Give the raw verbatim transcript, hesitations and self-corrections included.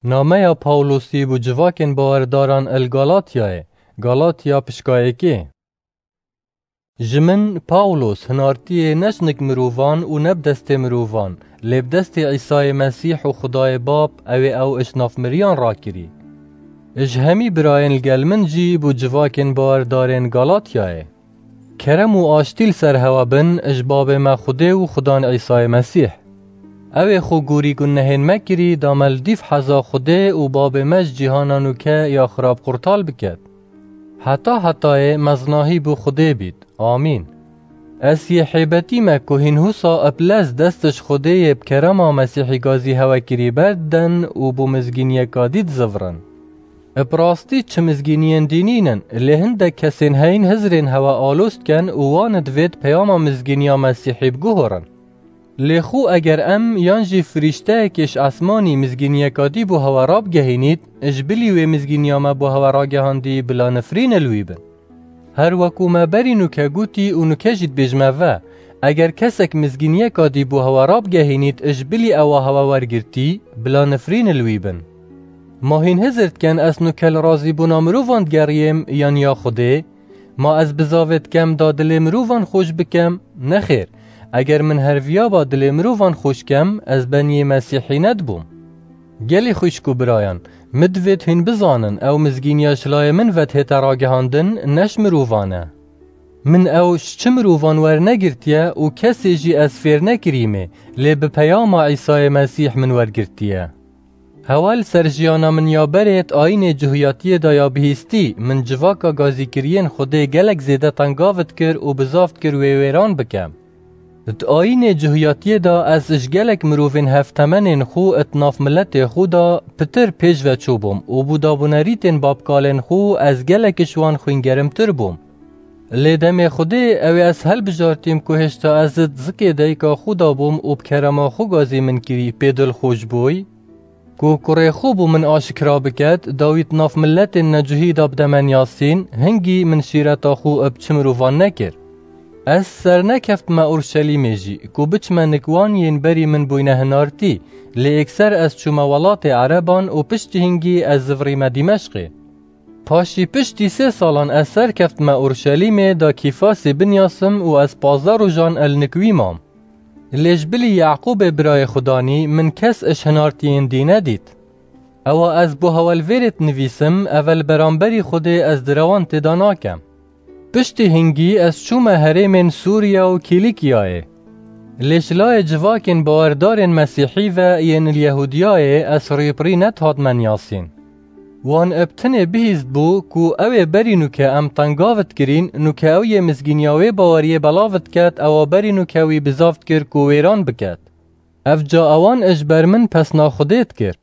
Nameya Pawlosî bo civakên bawerdaran el Galatyayê, Galatya pişka yekê. Ji min, Pawlos, hinartiyê ne ji nik mirovan û ne bi destê mirovan, lê bi destê Îsayê Mesîh û Xudayê Bab, ew ê ew ji nav miriyan rakirî. Ji hemî birayên li gel min jî bo civakên bawerdarên Galatyayê. Kerem û aştî li ser hewa bin ji babê me Xwedê û Xudan Îsayê Mesîh. Ew ê xwe gorî gunehên me kirî, da me li dîv heza Xwedê û babê me ji cîhana nûke ya xirab qurtal biket. Heta hetayê meznahî bo Xwedê bît. Amîn. Ez yê hêbetî me ku hîn husa ib lez dest ji Xwedê yê bi kerema Mesîhî gazî hewe kirî berdiden û bo mizgîniyeka dî dizivirin. Bi rastî çi mizgîniyên dînî nin, lê hindek kesên heyîn hizrên hewe aloz dikin û wan divêt peyama mizgîniya Mesîhî biguhorin. Lê xwe eger em yan jî firîşteyekê ji esmanî mizgîniyeka dî bo hewe rabigehînît, ji bilî wê mizgîniya me bo hewe ragehandî bila nifrîn li wî bin. Her weku me berî nûke gotî û nûke jî dibêjime ve, eger kesek mizgîniyeka dî bo hewe rabigehînît, ji bilî ewa hewe wergirtî, bila nifrîn li wî bin. Ma hîn hizir dikin ez nûke li razîbûna mirovan digeriyêm yan ya Xwedê? Ma ez bizavê dikem da dilê mirovan xweş bikem? Nexêr, eger min her viya ba dilê mirovan xweş kem, ez beniyê Mesîhî nedibûm. Gelî xwişk û birayan, min divêt hîn bizanin, ew mizgîniya ji layê min ve dihête ragihandin, ne ji mirovan e. Min ew ji çi mirovan wernegirtiye û kesê jî ez fêr nekirîmê, lê bi peyama Îsayê Mesîh min wergirtiye. Hewa li ser jiyana min ya berê di ayînê cuhiyatiyê de ya bihîstî, min civaka gazîkiriyên Xwedê gelek zêde tengav dikir û bizav dikir wê wêran bikem. Di ayînê cuhiyatiyê de ez ji gelek mirovên hevtemenên xwe di nav miletê xwe de pitir pêş ve çûbûm û bo dabûnerîtên babkalên xwe ez gelek ji wan xwîngerimtir bûm. Lê demê Xwedê ew ê ez helbijartîm ku hêşta ez di zikê dayika xwe de bûm û bi kerema xwe gazî min kirî pê dilxweş bûy, ku kurê xwe bo min aşikra biket, da wî di nav miletên necuhî de bide men yasîn, hingî min şîreta xwe bi çi mirovan nekir. Ez sernekeftime Urşelîmê jî, ku biçime nik wan yên berî min bûyne hinartî, lê êkser ez çûme welatê Ereban û piştî hingî ez zivirîme Dîmeşqê. Paşî piştî sê salan ez serkeftime Urşelîmê da Kîfasê binyasim û ez pazdeh rojan el nik wî mam. Lê ji bilî Yaqûbê birayê Xudanî min kes ji hinartiyên dî nedît. Ewa ez bo hewe li vêrê dinivîsim, ev e li beramberî Xwedê ez direwan tê de nakem. Piştî hingî ez çûme herêmên Sûriya û Kîlîkiyayê. Lê ji layê civakên bawerdarên Mesîhî ve yên li Yehûdiyayê ez rûyê bi rî nedihatime niyasîn. Wan bi tinê bihîst bû ku ew ê berî nûke em tengav dikirîn, nûke ew yê mizgîniya wê baweriyê belav diket, ewa berî nûke wî bizav dikir ku wêran biket. Ev ca ewan ji ber min pesna Xwedê dikir.